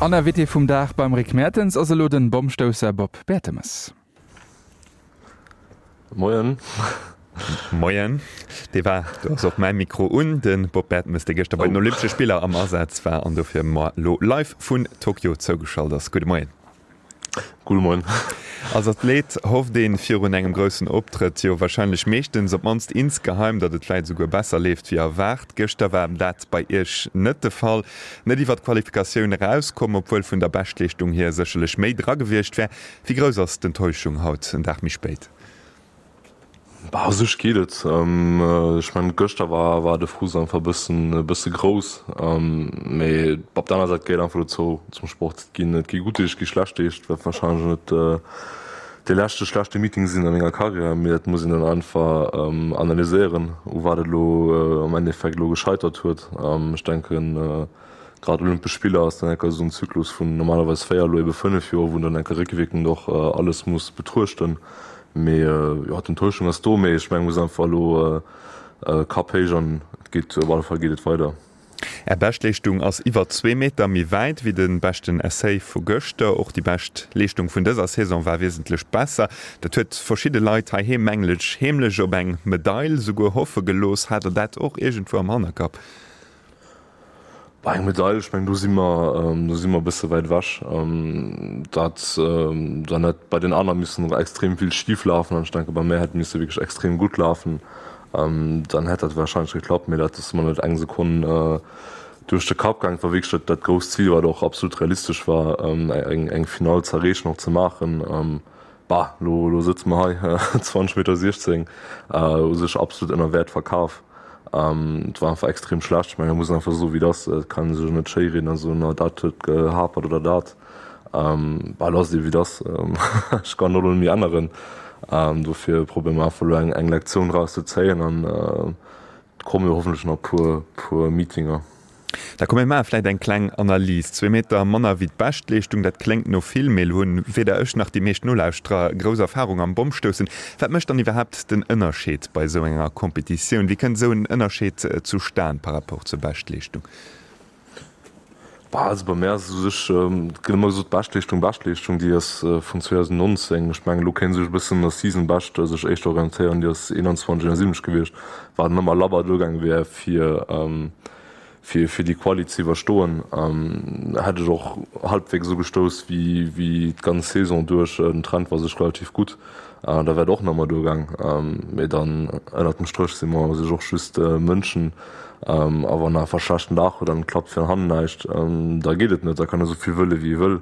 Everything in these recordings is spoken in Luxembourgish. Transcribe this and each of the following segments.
An Invité vum Dag beim Rick Mertens ass elo den Bommstousser Bob Bertemes. Moien. Moien. Dee war, do ass och mäi Mikro un, de Bob Bertemes, dee gëschter bei den Olympesche Spiller am Asaz war an dofir mer elo live vun Tokio zougeschalt ass. Gudde Moien. Gudde Moien. Als Athlet hofft ee virun engem groussen Optrëtt jo warscheinlech meeschtens, op d'mannst insgeheim, datt et vläit esouguer besser leeft wéi erwaart. Gëschter war dat bei Iech net de Fall. Net iwwer d'Qualifikatioun erauskomm, obwuel vun der Beschtleeschtung hier sécherlech méi dra gewiescht wär. Wéi grouss ass d'Enttäuschung haut, en Dag méi spéit? Bah, u sech geet et. Ech mengen, gëschter war war de Frust einfach e bëssen e bësse grouss. Mee op der aner Säit gehéiert einfach dozou zum Sport. Et ginn et gi gutt Deeg, et gi schlecht Deeg. Et wäert warscheinlech net dee leschte schlechte Meeting sinn a menger Karriär, mee dat muss een dann einfach analyséieren, u wat et elo am Endeffekt elo gescheitert huet. Ech denken, Grad Olympesch Spiller ass dann enker esou en Zyklus vun normalerweis 4, elo ebe 5 Joer, wou een dann enker réckwierkend och alles muss betruechten. Mee jo, d'Enttäuschung ass do, mee ech mengen, muss einfach elo Kapp héich an et geet, op alle Fall geet et weider. Är Beschtleeschtung ass iwwer zwee Meter méi wäit wéi de beschten Essai vu gëschter. Och déi bescht Leeschtung vun dëser Saison war wiesentlech besser. Dat huet verschidde Leit heiheem mengen ech heemlech op eng Medail souguer hoffe gelooss. Hat der dat och iergendwou am Hannerkapp? Bei eng Medail, ech mengen do si mer, do si mer e bësse wäit ewech. Dat dann hätt bei den aner missen extrem vill schif lafen an ech denke bei mär hätt misse wierklech extrem gutt lafen, dann hätt dat warscheinlech geklappt, mee dat ass mer net eng Sekonn duerch de Kapp gaangen. Et war wierklech dat dat grousst Zil, wat och absolut realistesch war, eng Finall ze erreechen, och ze maachen. Bah, lo lo sëtze mer hei, 20 Meter 16, u sech absolut ënner Wäert verkaf. Et war einfach extrem schlecht. Ech mengen, da muss een einfach soen, wéi et ass. Et kann ee sech och net schéirieden a soen, oh dat huet gehapert oder dat. Bah, lo ass et ebe wéi et ass. Ech kann och elo net méi änneren. Dofir probéiere mer einfach elo eng eng Lektioun draus ze zéien an et komme jo hoffentlech nach e puer puer Meetinger. Da komm mir maache vläit eng kleng Analys. Zwee Meter manner wéi d'Beschtleeschtung, dat kléngt no vill, mee elo hunn weder ech nach déi meescht Nolauschterer grouss Erfarung am Bommstoussen. Wat mécht dann iwwerhaapt den Ënnerscheed bei esou enger Kompetitioun? Wéi kënnt esou en Ënnerscheed zustan par rapport zur Beschtleeschtung? Bah, also bei mär ass et u sech, et gëtt ëmmer gesot, Beschtleeschtung, Beschtleeschtung, déi ass vun 2019. Ech mengen, elo kéint ee sech e bëssen un der Season Best sech éischter orientéieren, déi ass 21, 71 gewiescht, wat dann ëmmer labber duergaange wär fir, Fir fir déi Quali ze iwwerstoen, hätt ech och halbwegs esou gestouss wéi wéi d'ganz Saison duerch. Den Trend war sech relativ gutt, da wär et och nach emol duergaang. Mee dann ënnert dem Stréch si mer u sech och just Mënschen a wann en einfach schlechten Dag huet an et klappt vir an hannen näischt, da geet et net. Da kann e sou vill wëlle wéi e wëll,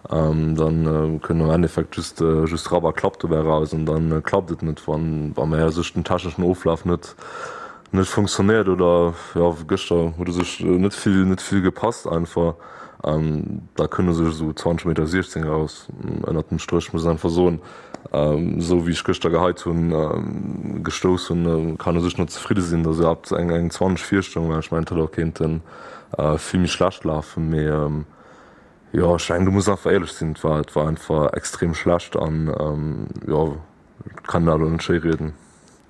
dann kënnt am Endeffekt just just Rapp a Klapp dobäi eraus an dann klappt et net, wann wa mer u sech den techneschen Oflaf net net funktionéiert oder jo gëschter huet u sech net vill net vill gepasst einfach. Da kënne sech esou 20 Meter 16 eraus. Ënnert dem Stréch muss een einfach soen, esou wéi ech gëschter geheit hunn, gestouss hunn, kann u sech net zefridde sinn, datt iwwerhaapt eng eng 20 virstoung, well ech mengen et hätt och kéinte vill méi schlecht lafen. Mee jo ech mengen do muss een einfach éierlech sinn, et war et war einfach extrem schlecht an jo et kann een dat elo net schéi rieden.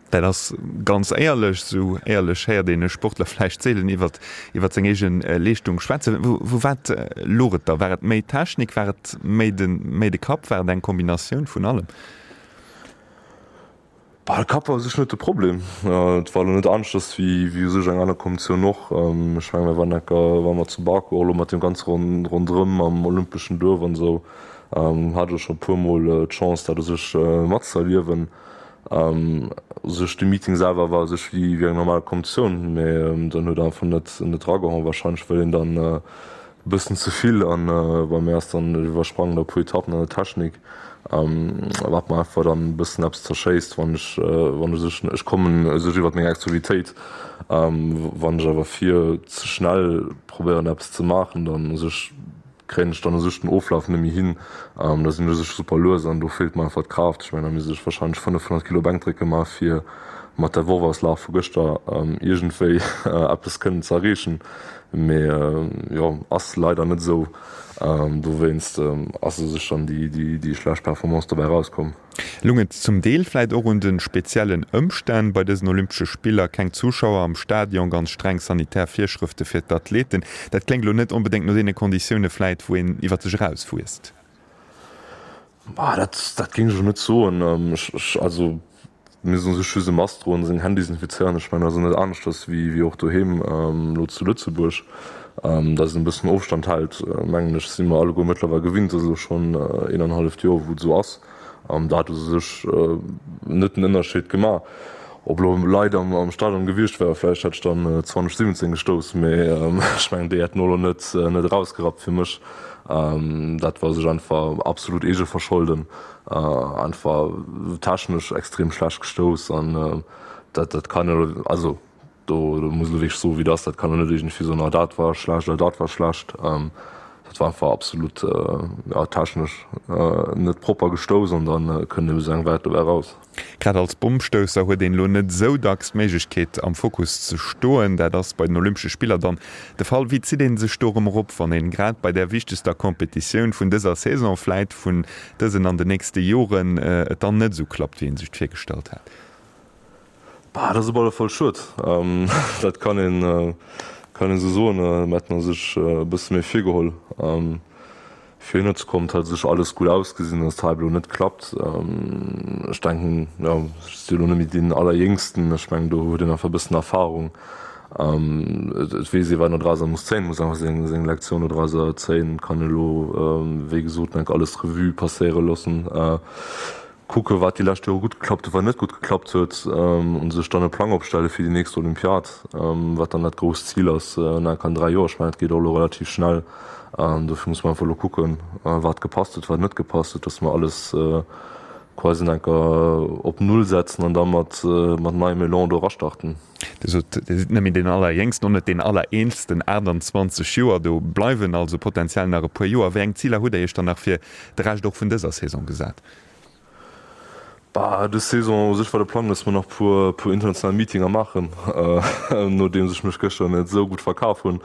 Dat ass ganz éierlech. Esou éierlech héiert een e Sportler vläicht seelen iwwer iwwer seng eege Leeschtung schwätzen. Wou wat louch et da? War et méi d'Technik? War et méi de méi de Kapp? War et eng Kombinatioun vun allem? Bah, de Kapp war u sech net de Problem. Et war elo net aneschters wéi wéi u sech eng aner Kompetitioun och. Ech mengen, mir waren enker war mer zu Baku och elo mat deem ganze Ronderëm am olympeschen Duerf an esou, hat ech och scho e puermol d'Chance dat u sech matzëerliewen. U sech de Meeting selwer war u sech wéi wéi eng normal Kompetitioun, mee dann huet einfach net net dragehauen, wahrscheinlech well een dann e bëssen ze vill an bei mir ass dann iwwersprangen der puer Etappen an der Technik, wat mer einfach dann e bëssen eppes zerschéisst, wann ech wann u sech ech kommen u sech iwwert meng Explosivitéit, wann ech awer vir ze schnell probéieren eppes ze maachen, dann u sech kréien ech dann u sech den Oflaf net méi hin. Da sinn ech u sech super lues an do feelt mer einfach d'Kraaft. Ech mengen, da misst ech warscheinlech 500 Kilo Bänkdrécke maache fir Mat der Worfauslag vu gëschter iergendwéi eppes kënnen ze erreechen, mee jo, ass leider net esou. Dowéinst ass u sech dann déi schlecht Performance dobäi erauskomm. Lung et zum Deel vläit och un de speziellen Ëmstänn bei dësen Olympesche Spiller, keng Zuschauer am Stadion, ganz streng sanitär Virschrëfte fir d'Athleten. Dat kléngt elo net onbedéngt no deene Konditioune vläit, wou een iwwer sech erauswuesst. Bah, dat, dat géing ech elo net soen. Ech, ech, also mir soen sech just e Mask droen, seng Hänn desinfizéieren. Ech mengen, dat ass net aneschters wéi, wéi och doheem elo zu Lëtzebuerg. Datt een e bëssen Ofstand hält, mengen ech, si mer alleguer mëttlerweil gewinnt. Dat ass elo schonn een an halleft Joer, wou et esou ass. Dat huet u sech net den Ënnerscheed gemaach. Ob elo Leit am Stadion gewiescht wären, vläicht hätt ech dann 2017 gestouss, mee ech mengen, déi hätten och elo net erausgerappt fir mech. Dat war sech einfach absolut Eegeverscholden, einfach technesch extrem schlecht gestouss an dat kann elo, also do muss elo wierklech soen, wéi et ass, dat kann elo net iergendwéi soen, oh dat war schlecht oder dat war schlecht. Dat war einfach absolut, ja, technesch net propper gestouss an da kënnt ebe sou eng Wäert dobäi eraus. Grad als Bommstousser huet een elo net esou dacks d'Méiglechkeet am Fokus ze stoen. Dat ass bei den Olympesche Spiller dann de Fall. Wéi zitt ee sech do erëm erop, wann een grad bei där wichtegster Competitioun vun dëser Saison, vläit vun dësen an den nächste Joren, et dann net esou klappt, wéi ee sech et virgestallt hat? Bah, dat ass op alle Fall schued. Dat kann een, kann een esou soen. Mir hätten sech e bësse méi virgeholl. Fir hinner ze kommen, et hat u sech alles gutt ausgesinn, dass et hei elo net klappt. Ech denken, jo, ech si elo net méi deen Allerjéngsten, ech mengen, do huet een einfach e bëssen Erfahrung. Et weess ee wat een dodrauser muss zéien, muss einfach seng seng Lektioun dodrauser zéien, kann elo wéi gesot enk alles Revue passéiere loossen. Kucke wat déi lescht Jore gutt geklappt huet, wat net gutt geklappt huet an sech dann e Plang opstelle fir déi nächst Olympiad, wat dann dat grousst Zil ass nach an 3 Joer. Ech mengen, et geet och elo relativ schnell. Dofir muss mer einfach elo kucken, wat gepasst huet, wat net gepasst huet, dass mer alles quasi nach enker op Null setzen an da mat neiem Elan do erastarten. Dir sot, Dir sidd net méi deen Allerjéngsten, och net deen Allereelsten, 28 Joer, do bleiwen also potenziell nach e puer Joer. Wéi eng Ziler hutt Der Iech dann nach fir de Rescht och vun dëser Saison gesat? Bah, dës Saison u sech war de Plang, dass mer nach puer puer international Meetinger maachen. Nodeems ech mech gëschter net esou gutt verkaf hunn,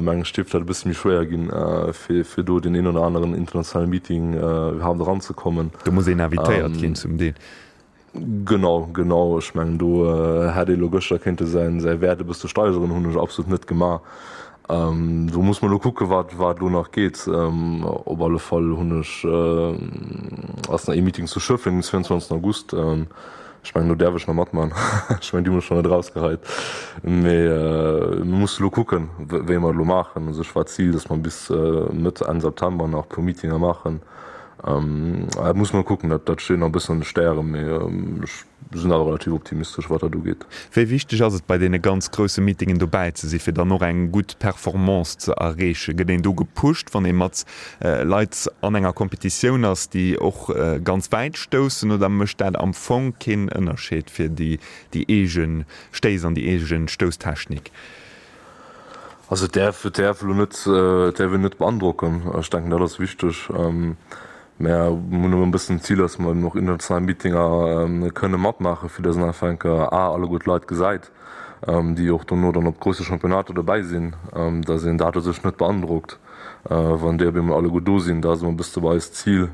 mengen ech, dierft dat e bësse méi schwéier ginn, fir fir do deen een oder aneren internationale Meeting iwwerhaapt eranzekommen. Do muss een invitéiert ginn zum Deel. Genau, genau. Ech mengen do hätt ee lo gëschter kéinte säin säi Wäert e bësse steigeren, hunn ech absolut net gemaach. Do muss mer lo kucke wat wat elo nach geet. Op alle Fall hunn ech ass nach ee Meeting zu Schëffleng den 22 August. Ech mengen do däerf ech nach matman. Ech mengen déi hu mech schonn net erausgeheit. Mee mir musse lo kucken wéi mer et elo maachen. U sech war d'Zil, datt mer bis Mëtt, Enn September nach e puer Meetinger maachen. Et muss mer kucken, dat dat steet nach e bëssen an de Stären, mee ech sinn awer relativ optimistesch, wat dat ugeet. Wéi wichteg ass et bei deene ganz grousse Meetingen dobäi ze si fir dann och eng gutt Performance ze erreechen? Gëtt een do gepusht, wann ee mat Leit an enger Competitioun ass, déi och ganz wäit stoussen, oder mécht dat am Fong keen Ënnerscheed fir déi eege Stéiss an déi eege Stousstechnik? Also et däerf, et däerf elo net, et däerf een net beandrocken. Ech denken, dat ass wichteg. Mä mir hunn elo e bëssen d'Zil, dass mer eben och international Meetinger kënne matmaachen, fir dass een einfach eng Kéier a alleguer d'Leit gesäit, déi och dono dann op grousse Championnater dobäi sinn, dass een dat u sech net beandrockt. Wann déi op eemol alleguer do sinn, dat ass ëmmer e bësse bei eis d'Zil,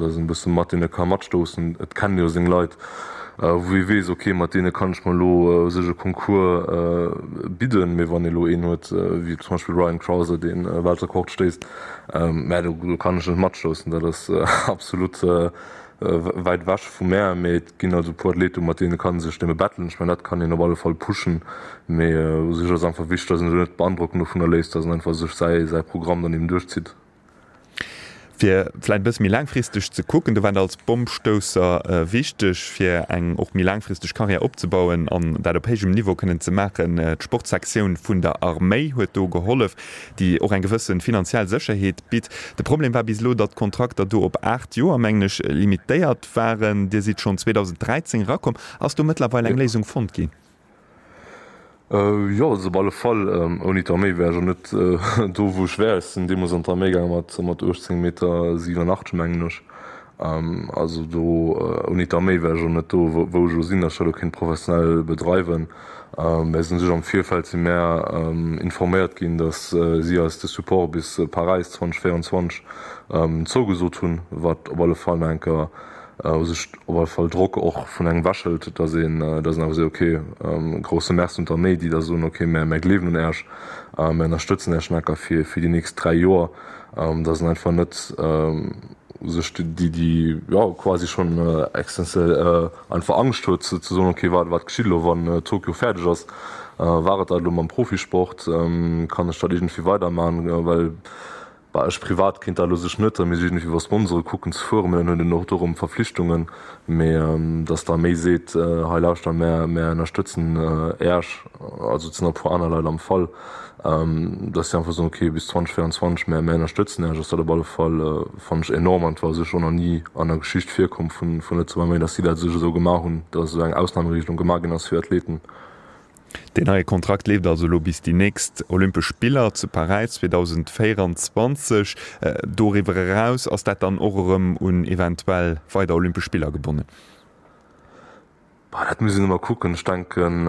dass een e bësse mat deene ka matstoussen. Et kennen jo seng Leit, wou ee weess, ok, mat deene kann ech mer elo u sech e Concours bidden. Mee wann ee elo een huet, wéi zum Beispill Ryan Crouser, dee Weltrekord stéisst, mä do kann ech net matstoussen. Dat ass absolut wäit ewech vu mär. Mee et ginn also e puer Athleten, mat deene kann ee sech nëmme battelen. Ech mengen, dat kann een op alle Fall pushen. Mee u sech ass einfach wichteg, datt een sech net beandrocken dovunner léisst, datt een einfach sech säi säi Programm dann eben duerchzitt. Fir vläicht e bësse méi laangfristeg ze kucken, do war et als Bommstousser wichteg, fir eng och méi laangfristeg Karriär opzebauen an dat op héijem Niveau kënnen ze maachen. D'Sportsektioun vun der Arméi huet do gehollef, déi och eng gewësse finanziell Sécherheet bitt. De Problem war bis elo, datt d'Kontrakter do op 8 Joer, mengen ech, limitéiert waren. Dir sidd schonn 2013 erakomm. Ass do mëttlerweil eng Léisung fonnt ginn? Jo, also op alle Fall. Ouni d'Arméi wär ech och net do, wou ech wär. Ech sinn deemools an d'Arméi gaange mat 18 Meter 87, mengen ech. Also do ouni d'Arméi wär ech och net do, wou ech elo sinn, datt ech dat elo kéint professionell bedreiwen. Mä sinn sech am Virfeld si mär informéiert ginn, datt si eis de Support bis Paräis 2024 zougesot hunn, wat op alle Fall nach eng Kéier u sech op alle Fall Drock och vun engem ewechhëlt, datt een datt een awer seet, ok, grousse Merci un d'Arméi, déi da soen, ok, mär mär gleewen un Äech, mär ënnerstëtzen Äech nach eng Kéier fir fir déi nächst 3 Joer, datt een einfach net u sech déi déi jo quasi schonn existenziell einfach Angscht huet ze soen, ok, wat wat geschitt elo wann Tokio fäerdeg ass, war et dat elo mam Profisport, kann ech dat iergendwéi weidermachen, well Bah, ech privat kéint dat elo sech net, da misst ech iergendwéi iwwer Sponsore kucken ze fueren, mä dann huet een och do erëm Verflichtungen. Mee datt d'Arméi seet, hei lauschter, mär, mär ënnerstëtzen Äerch, also et sinn och e puer aner Leit am Fall, datt si einfach soen, okay, bis 2024, mär, mär ënnerstëtzen Äerch, ass dat op alle Fall, fannen ech enorm an et war sech och nach ni an der Geschicht virkomm vun, vun Lëtzebuerger Arméi, datt si dat sech esou gemaach hunn, datt esou eng Ausnahmeregelung gemaach ginn ass fir Athleten. Deen neie Kontrakt leeft also elo bis déi nächst Olympesch Spiller zu Paräis 2024. Doriwwer eraus ass dat dann och erëm un eventuell weider Olympesch Spiller gebonnen? Bah, dat muss een ëmmer kucken. Ech denken,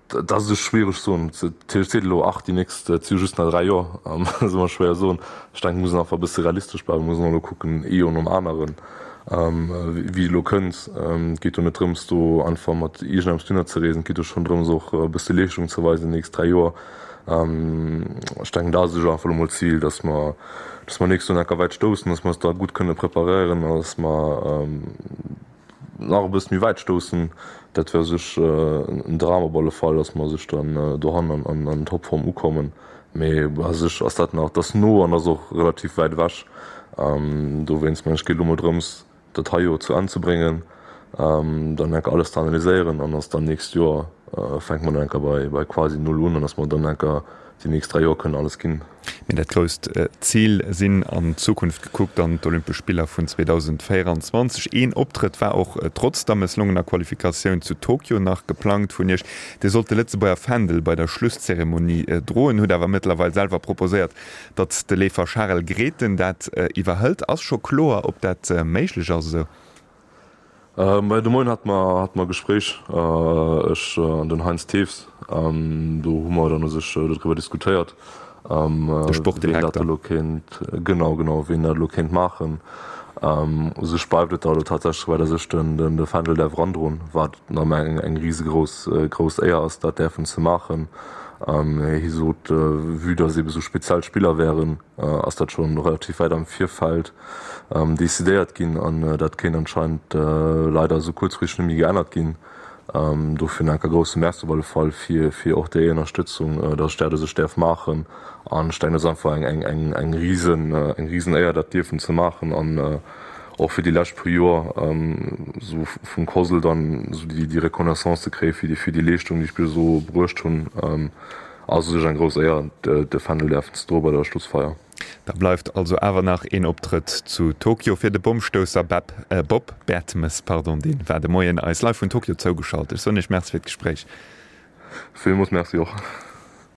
dat ass esou schwiereg soen. Natierlech seet elo, ach déi nächst, et si jo just nach 3 Joer. Dat ass ëmmer schwéier soen. Ech denken, et muss een einfach e bësse realistesch bleiwen. Et muss een elo kucken, ee Joer nom aneren. Wéi et elo kënnt. Et geet jo net drëms, do einfach mat iergendeppes dohinner ze reesen. Et geet jo schonn drëms, och e bësse Leeschtung ze weisen déi nächst 3 Joer. Ech denken, dat ass elo einfach elo mol d'Zil, dass mer, dass mer nächst Joer enker wäit stoussen, dass mer eis da gutt kënne preparéieren an dass mer nach e bësse méi wäit stoussen. Dat wär u sech en Dram op alle Fall, dass mer u sech dann dohannen an Topform ukommen. Mee u sech ass dat nach, dat ass no an ass och relativ wäit ewech. Dowéinst mengen ech, geet elo mol drëms, dat hei Joer zu Enn ze bréngen, dann enker alles ze analyséieren an dass dann nächst Joer fänke mer dann enker bei quasi null un an dass mer dann enker déi nächst 3 Joer kënnen alles ginn. Mee dat grousst Zil sinn an d'Zukunft gekuckt dann d'Olympesch Spiller vun 2024. Een Optrëtt war och trotz der mësslongener Qualifikatioun zu Tokio nach geplangt vun Iech. Dir sollt de Lëtzebuerger Fändel bei der Schlusszeremonie droen, hutt awer mëttlerweil selwer proposéiert, datt de Leefer Charel Grethen dat iwwerhëlt. Ass scho kloer, ob dat méiglech ass esou? Majo, de Moien hate mer hate mer e Gespréich, ech an den Heinz Thews. Do hu mer dann u sech dodriwwer diskutéiert, De ween dat Sportdirekter. elo kéint, genau, genau, ween dat elo kéint maachen. U sech bleift et da elo tatsächlech dobäi, datt ech den de Fändel däerf erandroen, wat nach ëmmer eng eng risegrouss grouss Éier ass, dat däerfen ze maachen. Hie sot, vue datt eebe sou speziell Spiller wären, ass dat scho relativ wäit am Virfeld decidéiert ginn an dat kéint anscheinend leider esou kuerzfristeg net méi geännert ginn. Dofir nach enker grousse Merci op alle Fall fir fir och déi Ënnerstëtzung, datt ech dat u sech däerf maachen an ech denken, dat ass einfach eng eng eng risen eng risen Éier dat dierfen ze maachen an och fir déi lescht puer Joer esou vum COSL dann esou déi déi Reconnaissance ze kréie fir déi fir déi Leeschtung déi ech bis elo bruecht hunn. Ass u sech eng grouss Éier, de Fändel däerfen ze droe bei der Schlussfeier. Da bleift also awer nach een Optrëtt zu Tokio fir de Bommstousser Beb, Bob Bertemes, pardon, deen war de Moien eis live vun Tokio zougeschalt. Ech soen Iech Merci fir d'Gespréich. Villmools Merci och.